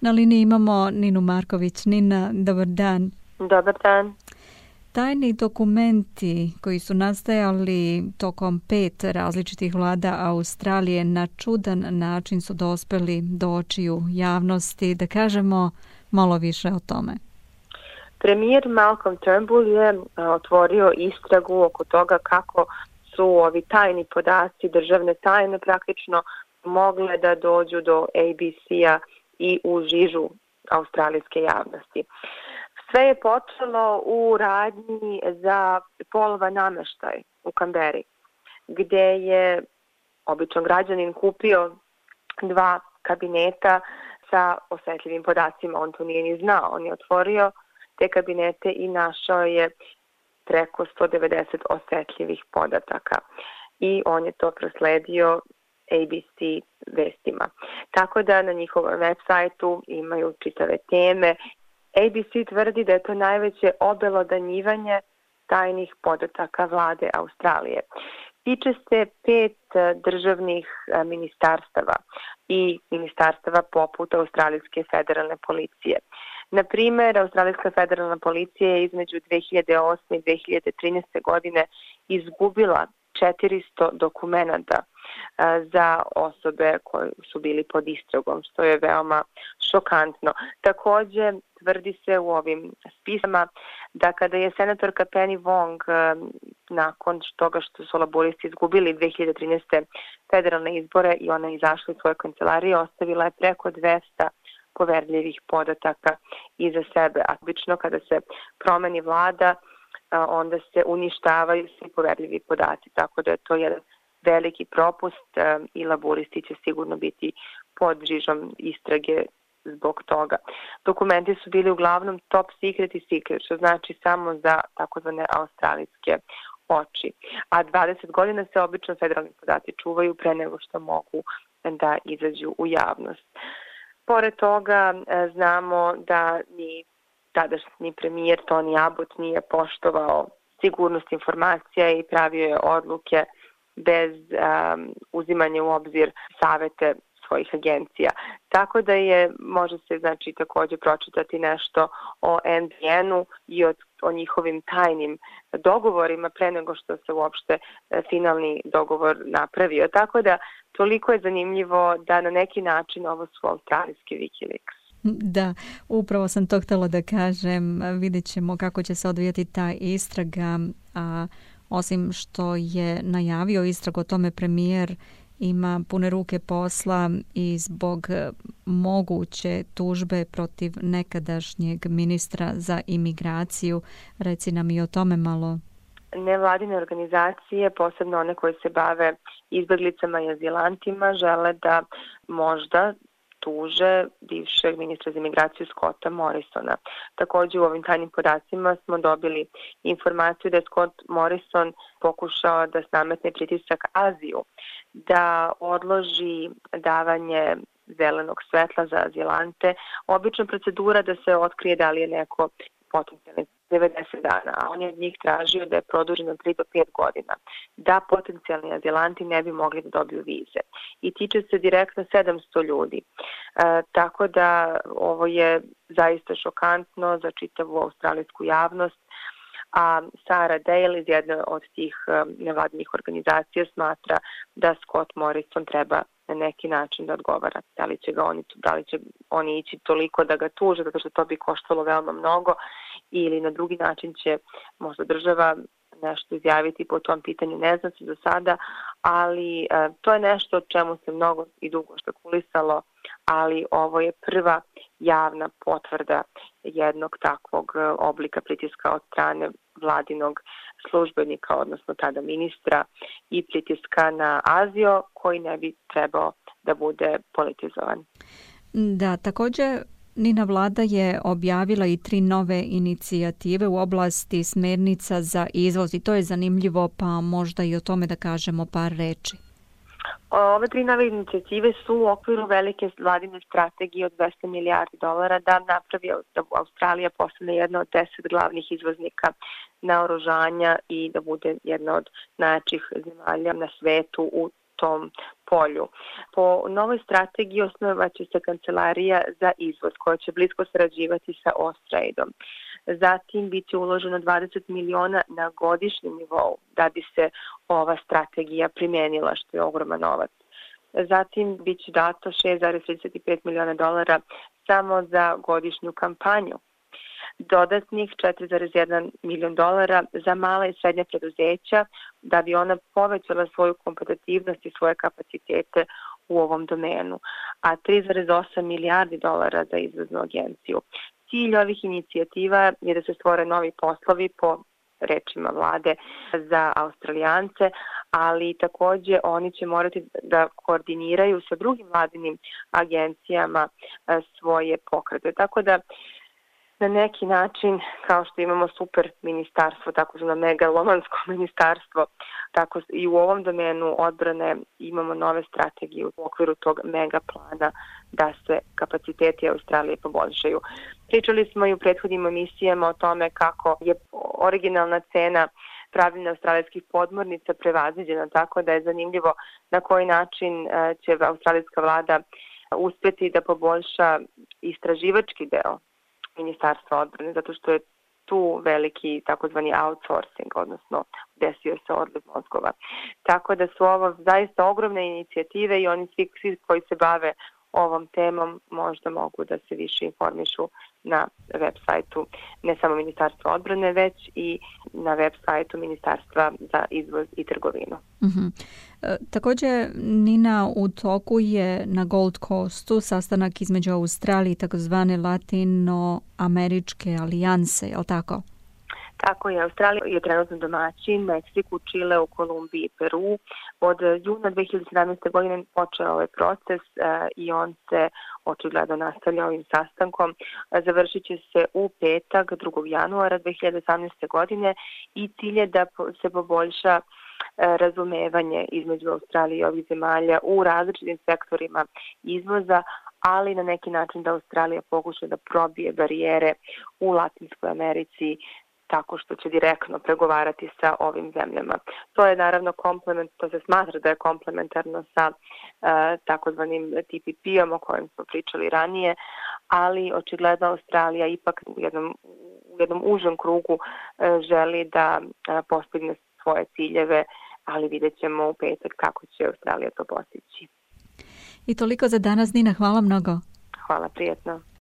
Na liniji imamo Ninu Marković. Nina, dobar dan. Dobar dan. Tajni dokumenti koji su nastajali tokom 5 različitih vlada Australije na čudan način su dospeli do očiju javnosti. Da kažemo malo više o tome. Premijer Malcolm Turnbull je otvorio istragu oko toga kako su ovi tajni podaci, državne tajne praktično mogle da dođu do ABC-a i u žižu australijske javnosti. Sve je počelo u radnji za polova nameštaj u Kamberi, gde je običan građanin kupio 2 kabineta sa osetljivim podacima. On to nije ni znao. On je otvorio te kabinete i našao je preko 190 osetljivih podataka. I on je to prosledio ABC vestima. Tako da na njihovom web sajtu imaju čitave teme. ABC tvrdi da je to najveće obelodanjivanje tajnih podataka vlade Australije. Tiče se 5 državnih ministarstava i ministarstava poput Australijske federalne policije. Na primer, Australijska federalna policija je između 2008. i 2013. godine izgubila 400 dokumenata za osobe koje su bili pod istragom, što je veoma šokantno. Takođe, tvrdi se u ovim spisama da kada je senatorka Penny Wong nakon toga što su laburisti izgubili 2013. federalne izbore i ona izašla iz svoje kancelarije, ostavila je preko 200 poverljivih podataka iza sebe. A obično kada se promeni vlada, onda se uništavaju svi poverljivi podaci, tako da je to jedan veliki propust i laburisti će sigurno biti pod žižom istrage zbog toga. Dokumenti su bili uglavnom top secret i secret, što znači samo za takozvane australijske oči. A 20 godina se obično federalni podaci čuvaju pre nego što mogu da izađu u javnost. Pored toga znamo da ni tadašnji premijer Tony Abbott nije poštovao sigurnost informacija i pravio je odluke bez uzimanja u obzir savete svojih agencija. Tako da može se takođe pročitati nešto o NBN-u i o njihovim tajnim dogovorima pre nego što se uopšte finalni dogovor napravio. Tako da toliko je zanimljivo da na neki način ovo su australijski Wikileaks. Da, upravo sam to htjela da kažem. Vidjet ćemo kako će se odvijati ta istraga, a osim što je najavio istragu o tome, premijer ima pune ruke posla i zbog moguće tužbe protiv nekadašnjeg ministra za imigraciju. Reci nam i o tome malo. Nevladine organizacije, posebno one koje se bave izbeglicama i azilantima, žele da možda tuže bivšeg ministra za imigraciju Scotta Morrisona. Takođe u ovim tajnim podacima smo dobili informaciju da je Scott Morrison pokušao da nametne pritisak Aziju, da odloži davanje zelenog svetla za azilante. Obična procedura da se otkrije da li je neko potencijalni 90 dana, a on je od njih tražio da je produženo 3 do 5 godina, da potencijalni azilanti ne bi mogli da dobiju vize. I tiče se direktno 700 ljudi. Tako da ovo je zaista šokantno za čitavu australijsku javnost, a Sarah Dale iz jedne od tih nevladinih organizacija smatra da Scott Morrison treba na neki način da odgovara. Da li će oni ići toliko da ga tuže, zato što to bi koštalo veoma mnogo, ili na drugi način će možda država nešto izjaviti po tom pitanju, ne znam se do sada, ali to je nešto o čemu se mnogo i dugo špekulisalo, ali ovo je prva javna potvrda jednog takvog oblika pritiska od strane vladinog službenika, odnosno tada ministra, i pritiska na Aziju koji ne bi trebao da bude politizovan. Da, također Nina vlada je objavila i 3 nove inicijative u oblasti smernica za izvoz i to je zanimljivo, pa možda i o tome da kažemo par reči. Ove 3 nove inicijative su u okviru velike vladine strategije od $200 milijardi da napravi da Australija postane jedna od 10 glavnih izvoznika naoružanja i da bude jedna od najjačih zemalja na svetu u tom polju. Po novoj strategiji osnovaće se kancelarija za izvoz koja će blisko sarađivati sa Austraidom. Zatim biće uloženo 20 miliona na godišnjem nivou da bi se ova strategija primenila, što je ogroman novac. Zatim biće dato 6,35 miliona dolara samo za godišnju kampanju. Dodatnih 4,1 milion dolara za mala i srednja preduzeća da bi ona povećala svoju kompetitivnost i svoje kapacitete u ovom domenu, a 3,8 milijardi dolara za izvoznu agenciju. Cilj ovih inicijativa je da se stvore novi poslovi po rečima vlade za Australijance, ali takođe oni će morati da koordiniraju sa drugim vladinim agencijama svoje pokrete. Tako da na neki način, kao što imamo super ministarstvo, tako na megalomansko ministarstvo, tako i u ovom domenu odbrane imamo nove strategije u okviru tog mega plana da se kapaciteti Australije poboljšaju. Pričali smo i u prethodnim emisijama o tome kako je originalna cena pravljenja australijskih podmornica prevaziđena, tako da je zanimljivo na koji način će australijska vlada uspeti da poboljša istraživački deo Ministarstva odbrane, zato što je tu veliki takozvani outsourcing, odnosno desio se odliv mozgova. Tako da su ovo zaista ogromne inicijative i oni svi koji se bave ovom temom možda mogu da se više informišu na web sajtu ne samo Ministarstva odbrane, već i na web sajtu Ministarstva za izvoz i trgovinu. Također, Nina, u toku je na Gold Coastu sastanak između Australije i takozvane Latinoameričke alijanse, je li tako? Tako je, Australija je trenutno domaćin, Meksiku, Čileu, Kolumbiji i Peru. Od juna 2017. godine počeo ovaj proces i on se očigledno nastavlja ovim sastankom. Završit će se u petak 2. januara 2018. godine i cilj je da se poboljša razumevanje između Australije i ovih zemalja u različitim sektorima izvoza, ali na neki način da Australija pokuša da probije barijere u Latinskoj Americi tako što će direktno pregovarati sa ovim zemljama. To je naravno to se smatra da je komplementarno sa takozvanim TPP-om o kojem smo pričali ranije, ali očigledno Australija ipak u jednom užem krugu želi da postigne svoje ciljeve, ali vidjet ćemo u petak kako će Australija to postići. I toliko za danas, Nina, hvala mnogo. Hvala, prijetno.